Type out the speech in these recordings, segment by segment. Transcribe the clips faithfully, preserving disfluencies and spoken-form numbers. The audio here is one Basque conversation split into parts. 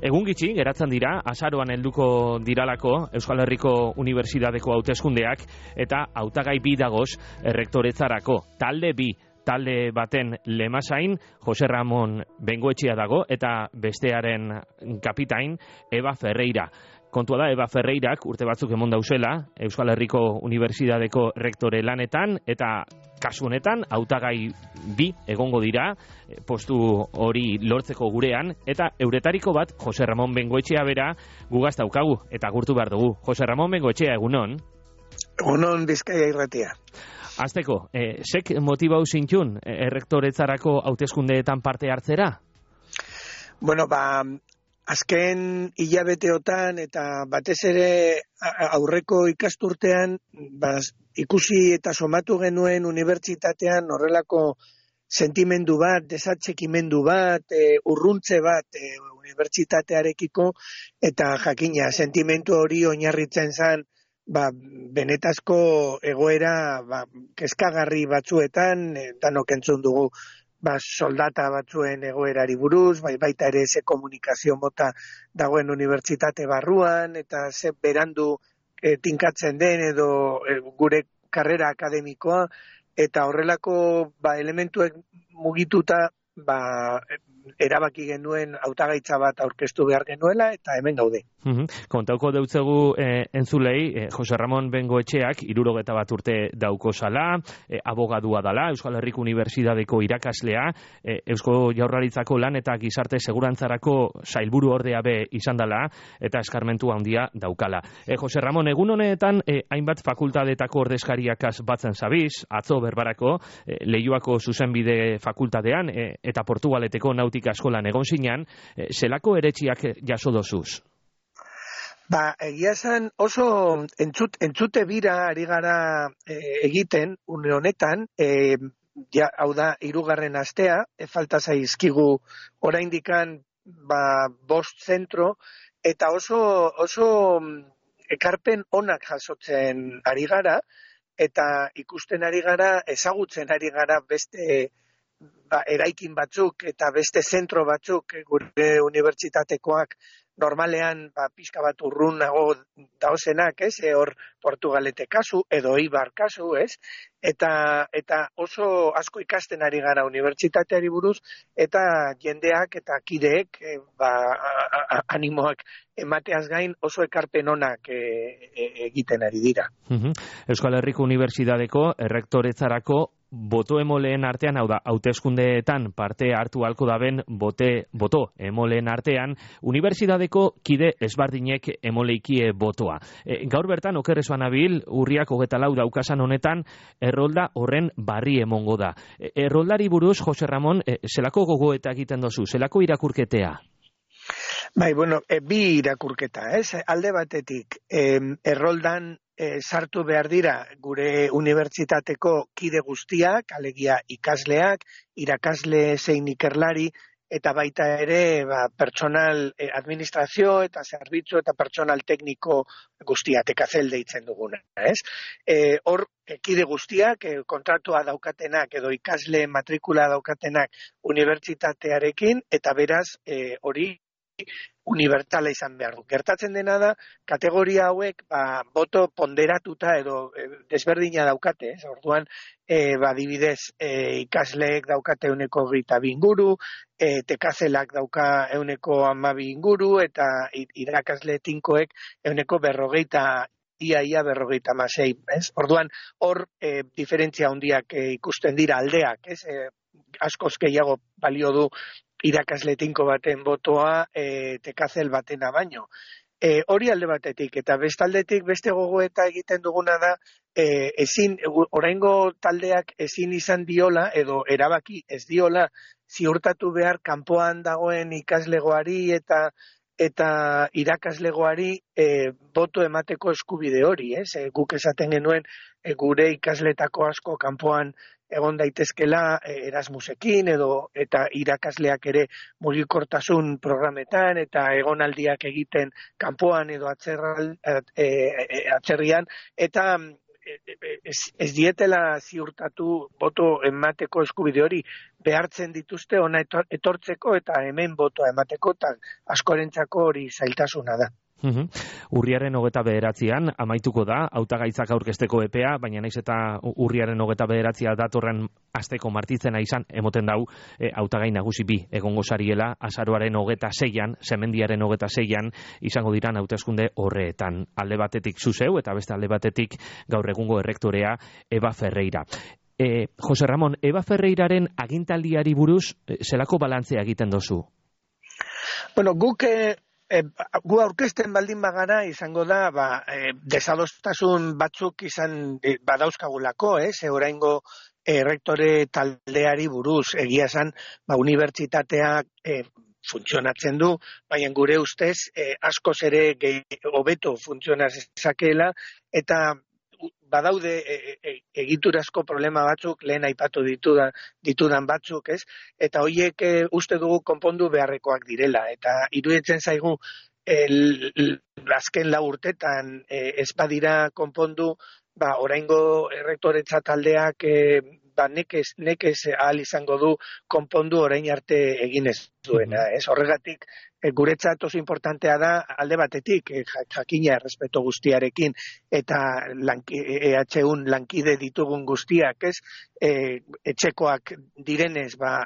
Egun gitxi, geratzen dira, azaroan helduko diralako Euskal Herriko Unibertsitateko hauteskundeak eta hautagai bi dagoz errektoretzarako. Talde bi, talde baten lemasain, Jose Ramon Bengoetxea dago eta bestearen kapitain Eva Ferreira. Kontua da, Eva Ferreirak urte batzuk emon dauzela Euskal Herriko Unibertsitateko rektore lanetan eta kasu honetan hautagai bi egongo dira postu hori lortzeko gurean eta euretariko bat Jose Ramon Bengoetxea bera gugaz daukagu eta gurtu behar dugu. Jose Ramon Bengoetxea, egunon? Egunon Bizkaia irratia. Azteko, eh, sek motibau zintxun errektoretzarako hauteskundeetan parte hartzera? Bueno, ba, azken hilabeteotan eta batez ere aurreko ikasturtean ba, ikusi eta somatu genuen unibertsitatean horrelako sentimendu bat, desatxekimendu bat, e, urruntze bat e, unibertsitatearekiko eta jakina sentimendu hori oinarritzen zen ba, benetazko egoera ba, kezkagarri batzuetan, e, danok entzun dugu ba, soldata batzuen egoerari buruz, bai, baita ere ze komunikazio mota dagoen unibertsitate barruan, eta ze berandu e, tinkatzen den edo e, gure karrera akademikoa, eta horrelako ba, elementuek mugituta ba, erabaki genuen hautagaitza bat aurkeztu behar genuela, eta hemen gaude. Uhum. Kontauko deutzegu eh, entzulei, eh, Jose Ramon Bengoetxeak irurogeta bat urte dauko zala, eh, abogadua dala, Euskal Herriko Unibertsitateko irakaslea, eh, Eusko Jaurlaritzako lan eta gizarte segurantzarako sailburu ordea be izan dala, eta eskarmentu handia daukala. Eh, Jose Ramon, egun honetan, eh, hainbat fakultadetako ordezkariakaz batzen zabiz, atzo berbarako, eh, Leioako zuzenbide fakultatean, eh, eta Portugaleteko nautika eskolan egon zinan, eh, zelako eretxiak jaso dozuz? Ba, egia esan oso entzut, entzute bira ari gara e, egiten, une honetan, e, ja, hau da, hirugarren astea, e, falta zaizkigu oraindikan ba, bost zentro, eta oso, oso ekarpen onak jasotzen ari gara, eta ikusten ari gara, ezagutzen ari gara beste ba, eraikin batzuk eta beste zentro batzuk gure unibertsitatekoak normalean ba, pixka bat urrunago daozenak, ez, e, hor Portugalete kasu, edo Eibar kasu, ez, eta, eta oso asko ikasten ari gara unibertsitateari buruz, eta jendeak eta kideek e, ba, a, a, animoak emateaz gain oso ekarpen onak e, e, egiten ari dira. Uhum. Euskal Herriko Unibertsitateko errektoretzarako boto emoleen artean, hau da, hauteskundeetan parte hartu halko daben bote, boto emoleen artean, unibertsitateko kide ezbardinek emoleikie botoa. E, gaur bertan, okerrezoan abil, urriak hogeta lau daukasan honetan, errolda horren barri emongo da. E, erroldari buruz, Jose Ramon, e, zelako gogoeta egiten dozu, zelako irakurketea? Bai, bueno, e, bi irakurketa, ez? Alde batetik, e, erroldan E, sartu behar dira gure unibertsitateko kide guztiak, alegia ikasleak, irakasle zein ikerlari, eta baita ere ba, personal e, administrazio eta zerbitzu eta personal tekniko guztia, tekazel deitzen duguna. Ez? E, hor, e, kide guztiak, e, kontratua daukatenak edo ikasle matrikula daukatenak unibertsitatearekin, eta beraz e, hori unibertsala izan behar du. Gertatzen dena da, kategoria hauek ba, boto ponderatuta edo e, desberdina daukate, ez? Orduan, e, ba, dibidez, e, ikasleek daukate euneko hogeita bi inguru, e, tekazelak dauka euneko hamabi inguru, eta irakasle tinkoek euneko berrogeita ia ia berrogeita hamasei, ez? Orduan, hor e, diferentzia handiak e, ikusten dira aldeak, ez? E, askoz gehiago balio du irakasle tinko baten botoa e, tekazel batena baino. E, hori alde batetik, eta bestaldetik beste gogoeta egiten duguna da, e, ezin, oraingo taldeak ezin izan diola, edo erabaki ez diola, ziurtatu behar kanpoan dagoen ikaslegoari eta eta irakaslegoari e, boto emateko eskubide hori, ez? E, guk esaten genuen e, gure ikasletako asko kanpoan egon daitezkela Erasmusekin edo eta irakasleak ere mugikortasun programetan eta egonaldiak egiten kanpoan edo atzerral, e, e, atzerrian eta ez, ez dietela ziurtatu boto emateko eskubide hori behartzen dituzte ona etortzeko eta hemen botoa emateko, eta askorentzako hori zailtasuna da. Uhum. Urriaren hogeta bederatzian amaituko da hautagaitzak aurkezteko epea, baina naiz eta urriaren hogeta bederatzia datorren asteko martitzena izan, emoten dau e, hautagai nagusi bi egongo sariela azaroaren hogeta seian, semendiaren hogeta seian izango diran hauteskunde horreetan. Alde batetik zuzeu eta beste alde batetik gaur egungo errektorea Eva Ferreira. E, Jose Ramon, Eva Ferreiraren agintaldiari buruz e, zelako balantzea egiten dozu? Bueno, guk e, e, gu aurkezten baldin bagara izango da ba, e, desadostasun batzuk izan e, badauzkagulako, ez? E, oraingo e, rektore taldeari buruz egia esan, ba, unibertsitateak e, funtzionatzen du, baina gure ustez e, askoz ere hobeto funtzionaz ezakeela, eta badaude e, e, egiturazko problema batzuk, lehen aipatu ditudan, ditudan batzuk, ez? Eta horiek e, uste dugu konpondu beharrekoak direla. Eta iruditzen zaigu, el, el, azken lau urtetan e, ez badira konpondu, ba, oraingo errektoretza taldeak e, ba, nekez, nekez ahal izango du konpondu orain arte egin ez duena. Ez? Horregatik, e, guretzat oso importantea da alde batetik, e, jakina errespeto guztiarekin, eta lanki, E H Un lankide ditugun guztiak, ez? E, etxekoak direnez, ba,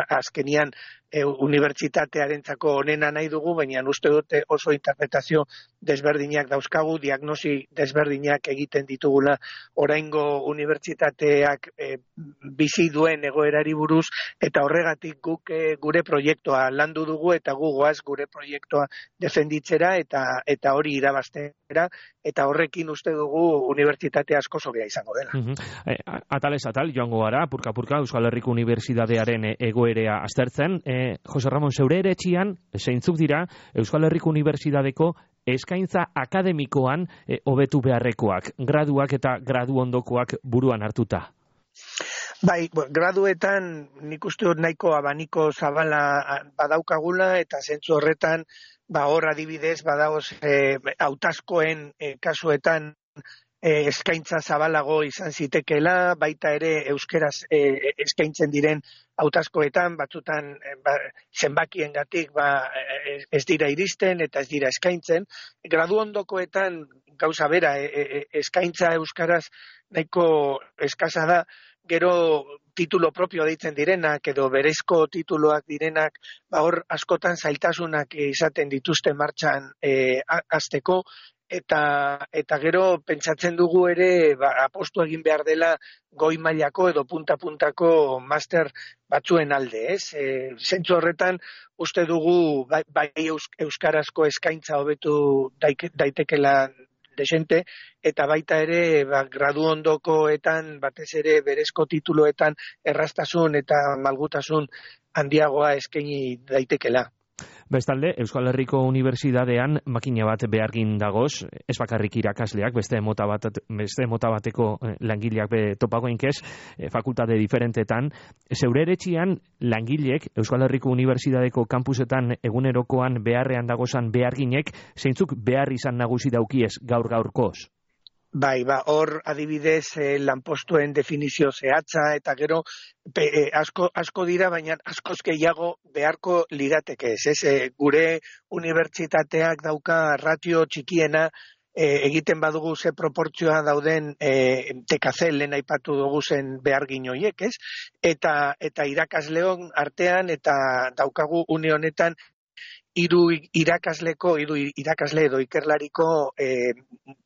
azkenian e, unibertsitatearentzako onena nahi dugu, baina uste dute oso interpretazio desberdinak dauzkagu, diagnosi desberdinak egiten ditugula oraingo unibertsitateak e, bizi duen egoerari buruz, eta horregatik guk e, gure proiektua landu dugu, eta gu goaz gure proiektua defenditzera, eta eta hori irabaztera, eta horrekin uste dugu unibertsitate asko zobea izango dela. Uh-huh. e, atalez atal, joango gara, purka-purka, Euskal Herriko Unibertsitatearen egoerea aztertzen. E, Jose Ramon, zeure ere etxian, zeintzuk dira, Euskal Herriko Unibertsitateko eskaintza akademikoan e, hobetu beharrekoak, graduak eta gradu ondokoak buruan hartuta? Bai, graduetan nik uste dut nahiko abaniko zabala badaukagula, eta zentzu horretan, ba hor adibidez, badagoz e, hautazkoen e, kasuetan e, eskaintza zabalago izan zitekela, baita ere euskeraz e, eskaintzen diren hautazkoetan, batzutan e, ba, zenbakiengatik ba, ez dira iristen eta ez dira eskaintzen. Gradu ondokoetan gauza bera, e, e, eskaintza euskaraz nahiko eskasa da, gero titulo propio deitzen direnak edo berezko tituloak direnak, ba hor askotan zailtasunak izaten dituzte martxan e, hasteko, eta eta gero pentsatzen dugu ere ba, apostu egin behar dela goi mailako edo punta-puntako master batzuen alde, ez? E, zentzu horretan uste dugu bai, bai euskarazko eskaintza hobetu daike, daitekela desente, eta baita ere ba, gradu ondokoetan, batez ere berezko tituloetan erraztasun eta malgutasun handiagoa eskaini daitekela. Bestalde, Euskal Herriko Unibertsitatean makina bat behargin dagoz, ez bakarrik irakasleak, beste mota bat, beste mota bateko langileak be topagoinkez, fakultate diferentetan. Zeure eretxian langileek Euskal Herriko Unibertsitateko kampusetan egunerokoan beharrean dagozan beharginek, zeintzuk behar izan nagusi daukiez gaur gaurkoz? Bai, ba, hor adibidez eh, lanpostuen definizio zehatza, eta gero pe, eh, asko, asko dira, baina askoz gehiago beharko lirateke ez, ez? E, gure unibertsitateak dauka ratio txikiena, e, egiten badugu ze proportzioa dauden e, tekazel lehen aipatu dugu zen behargin horiek, ez? Eta, eta irakasleon artean, eta daukagu une honetan, hiru irakasleko, hiru irakasle edo ikerlariko e,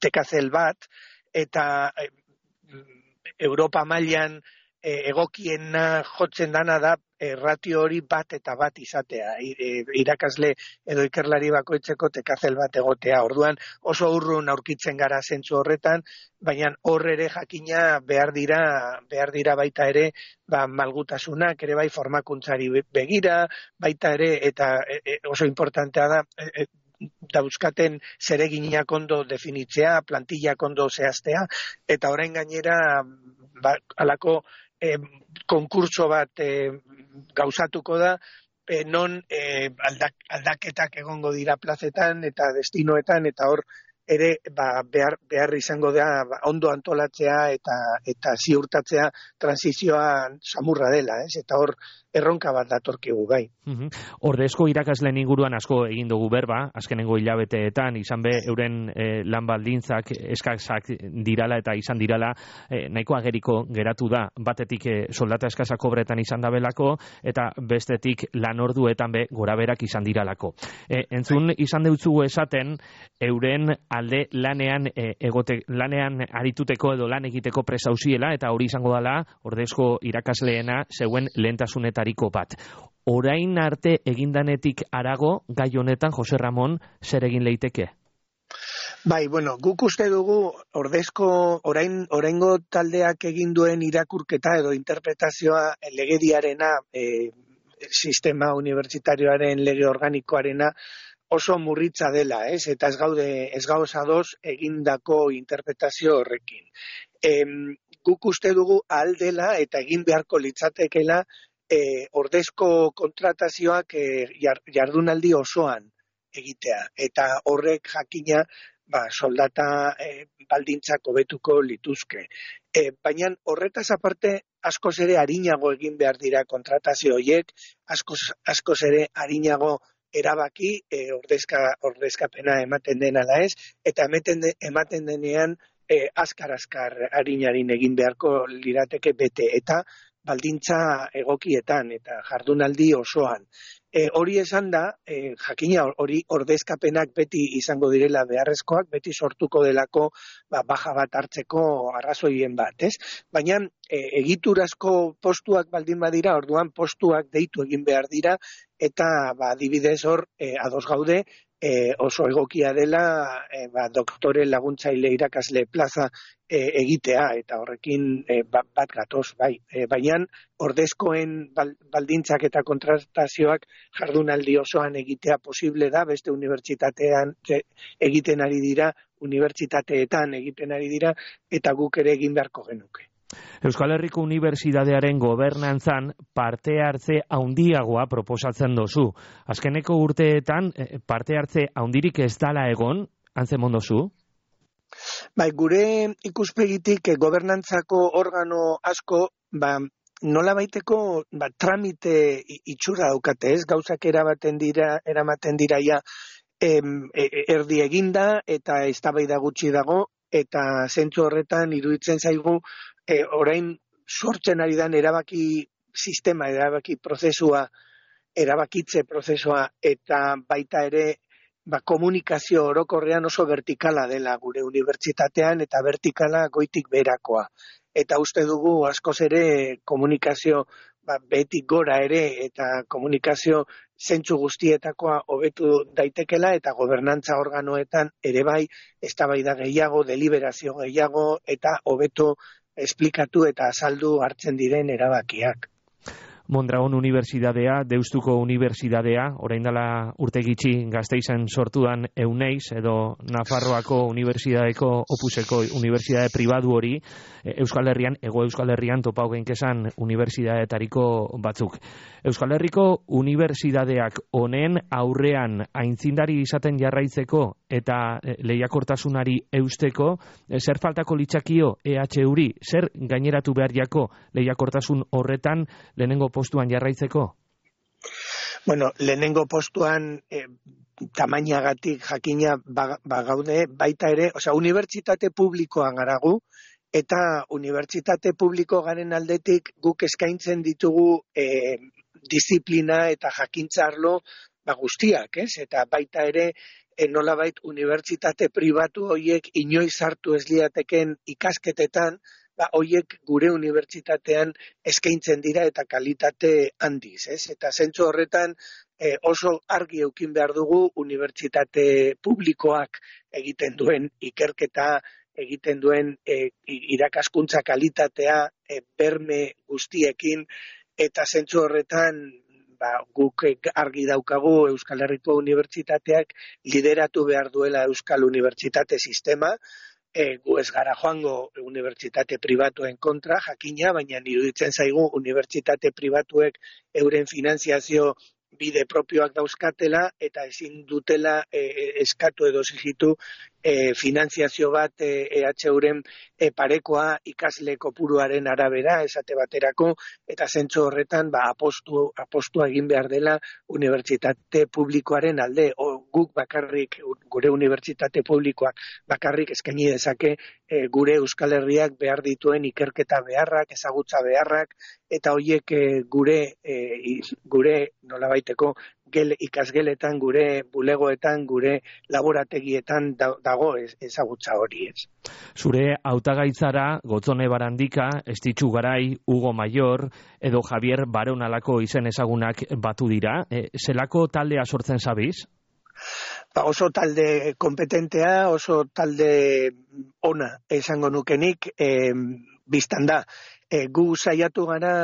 tekazel bat, eta e, Europa mailan e, egokiena jotzen dana da e, ratio hori bat eta bat izatea, e, irakasle edo ikerlari bakoitzeko tekazel bat egotea. Orduan oso urrun aurkitzen gara zentzu horretan, baina hor ere jakina behar dira, behar dira baita ere ba, malgutasunak ere bai formakuntzari begira, baita ere, eta e, oso importantea da, e, dauzkaten zereginak ondo definitzea, plantillak ondo zehaztea, eta orain gainera ba, alako e, konkurso bat e, gauzatuko da, e, non e, aldak, aldaketak egongo dira plazetan eta destinoetan, eta hor ere ba, behar, behar izango da ba, ondo antolatzea eta eta ziurtatzea transizioa samurra dela, ez? Eta hor erronka bat datorkigu bai. Mhm. Ordezko irakasleen inguruan asko egin dugu berba, azkenengo hilabeteetan izan be euren eh, lan baldintzak eskasak dirala eta izan dirala eh, nahiko ageriko geratu da. Batetik eh, soldata eskasa kobretan izan dabelako eta bestetik lan orduetan be goraberak izan diralako. Eh, entzun izan deutzugu esaten euren alde lanean eh, egote, lanean arituteko edo lan egiteko presauziela eta hori izango dela ordezko irakasleena zeuen lehentasunetariko bat. Orain arte egindanetik arago gai honetan Jose Ramon zer egin leiteke? Bai, bueno, guk uste dugu ordezko orain oraingo taldeak egin duen irakurketa edo interpretazioa legediarena, e, sistema unibertsitarioaren lege organikoarena oso murritza dela, ez? Eta ez gaude ez gauz ados egindako interpretazio horrekin. E, guk uste dugu ahal dela eta egin beharko litzatekeela E, ordezko kontratazioak e, jardunaldi osoan egitea. Eta horrek jakina ba, soldata e, baldintzak hobetuko lituzke. E, baina horretaz aparte askoz ere arinago egin behar dira kontratazio horiek, askoz, askoz ere arinago erabaki e, ordezka, ordezkapena ematen den ala ez, eta ematen, de, ematen denean e, azkar-azkar arinarin egin beharko lirateke bete. Eta baldintza egokietan eta jardunaldi osoan. E, hori esan da, e, jakina hori ordezkapenak beti izango direla beharrezkoak, beti sortuko delako ba, baja bat hartzeko arrazoien bat, ez? Baina e, egiturazko postuak baldin badira, orduan postuak deitu egin behar dira, eta ba, adibidez hor e, ados gaude, E, oso egokia dela e, ba, doktore laguntzaile irakasle plaza e, egitea, eta horrekin e, bat, bat gatoz, bai. E, baina ordezkoen baldintzak eta kontratazioak jardunaldi osoan egitea posible da, beste unibertsitatean egiten ari dira, unibertsitateetan egiten ari dira, eta guk ere egin beharko genuke. Euskal Herriko Unibertsitatearen gobernantzan parte hartze handiagoa proposatzen dozu. Azkeneko urteetan parte hartze handirik ez dala egon, antzemon dozu? Bai, gure ikuspegitik gobernantzako organo asko, ba, nola baiteko ba, tramite itxura daukate, ez? Gauzak erabaten dira, eramaten dira ja em, erdi eginda eta eztabaida gutxi dago, eta zentzu horretan iruditzen zaigu E, orain sortzen ari dan erabaki sistema, erabaki prozesua, erabakitze prozesua, eta baita ere ba, komunikazio orokorrean oso vertikala dela gure unibertsitatean, eta vertikala goitik beherakoa. Eta uste dugu askoz ere komunikazio ba, behetik gora ere, eta komunikazio zentzu guztietakoa hobetu daitekela, eta gobernantza organoetan ere bai, eztabaida gehiago, deliberazio gehiago, eta hobetu esplikatu eta azaldu hartzen diren erabakiak. Mondragon Unibertsitatea, Deustuko Unibertsitatea, orain dela urte gitxi Gasteizen sortudan Euneiz, edo Nafarroako Unibertsitateko Opuseko Unibertsitate pribatu hori, Euskal Herrian, Ego Euskal Herrian topau genkezan unibertsitateetariko batzuk. Euskal Herriko Unibertsitateak honen aurrean aintzindari izaten jarraitzeko eta lehiakortasunari eusteko, zer faltako litzakio E H uri, zer gaineratu behar jako lehiakortasun horretan lehenengo postuan jarraitzeko? Bueno, lehenengo postuan eh, tamainagatik jakina bagaude, ba baita ere, osea, unibertsitate publikoan garagu, eta unibertsitate publiko garen aldetik guk eskaintzen ditugu eh, disiplina eta jakintza arlo ba, guztiak, ez? Eta baita ere, e, nolabait unibertsitate pribatu horiek inoiz hartu ez liateken ikasketetan, ba, horiek gure unibertsitatean eskaintzen dira eta kalitate handiz, ez? Eta zentzu horretan e, oso argi eukin behar dugu unibertsitate publikoak egiten duen ikerketa, egiten duen e, irakaskuntza kalitatea e, berme guztiekin, eta zentzu horretan ba, guk argi daukagu Euskal Herriko Unibertsitateak lideratu behar duela Euskal Unibertsitate sistema, e, gu ez gara joango unibertsitate pribatuen kontra, jakina, baina iruditzen zaigu unibertsitate pribatuek euren finanziazio bide propioak dauzkatela eta ezin dutela e, eskatu edo exigitu e, finanziazio bat e, E H Uren e, parekoa ikasle kopuruaren arabera esate baterako, eta zentzu horretan ba, apostu, apostua egin behar dela unibertsitate publikoaren alde. O, guk bakarrik, gure unibertsitate publikoak bakarrik eskaini dezake e, gure Euskal Herriak behar dituen ikerketa beharrak, ezagutza beharrak, eta horiek e, gure e, gure nolabaiteko gel, ikasgeletan, gure bulegoetan, gure laborategietan dago ezagutza hori ez. Zure hautagaitzara Gotzone Barandika, Estitxu Garai, Hugo Mayor edo Javier Baronalako izen ezagunak batu dira. E, zelako taldea sortzen zabiz? Ba, oso talde kompetentea, oso talde ona esango nukenik, e, biztan da. E, gu saiatu gara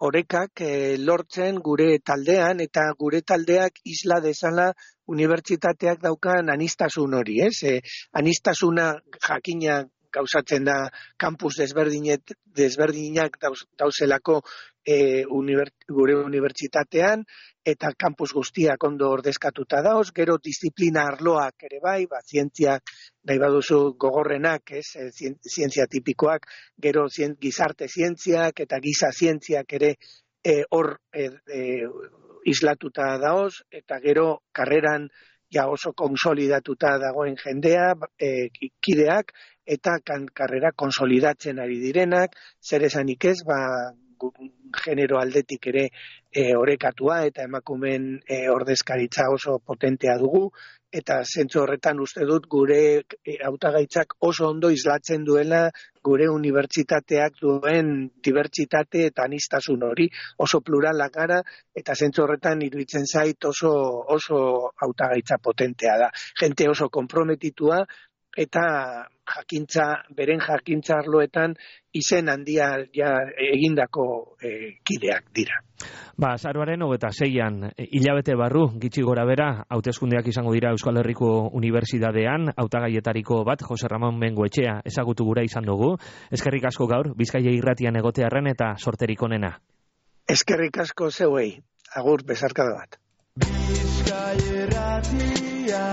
orekak e, lortzen gure taldean, eta gure taldeak isla dezala unibertsitateak daukan anistasun hori, ez? E, anistasuna jakina gauzatzen da kampus desberdinet, desberdinak dauz, dauzelako e, uniber, gure unibertsitatean, eta kampus guztiak ondo ordezkatuta dauz, gero disiplina arloak ere bai, ba, zientziak nahi baduzu gogorrenak, ez, zientzia tipikoak, gero zien, gizarte zientziak eta giza zientziak ere e, hor e, e, islatuta daoz, eta gero karreran ja oso konsolidatuta dagoen jendea, e, kideak, eta kan, karrera konsolidatzen ari direnak, zer esanik ez, ba, genero aldetik ere e, orekatua eta emakumeen e, ordezkaritza oso potentea dugu, eta zentzu horretan uste dut gure hautagaitzak oso ondo islatzen duela gure unibertsitateak duen dibertsitate eta anistasun hori, oso pluralak gara, eta zentzu horretan iruditzen zait oso, oso hautagaitza potentea da. Jente oso konprometitua, eta jakintza, beren jakintza arloetan izen handia ja egindako e, kideak dira. Ba, azaroaren hogeita seian, hilabete barru, gitxi gora bera, hauteskundeak izango dira Euskal Herriko Unibertsitatean, hautagaietariko bat, Jose Ramon Bengoetxea ezagutu gura izan dugu. Eskerrik asko gaur, Bizkaia irratian egotearren eta sorterik onena. Eskerrik asko zeuei, agur besarkada bat. Bizkaia irratia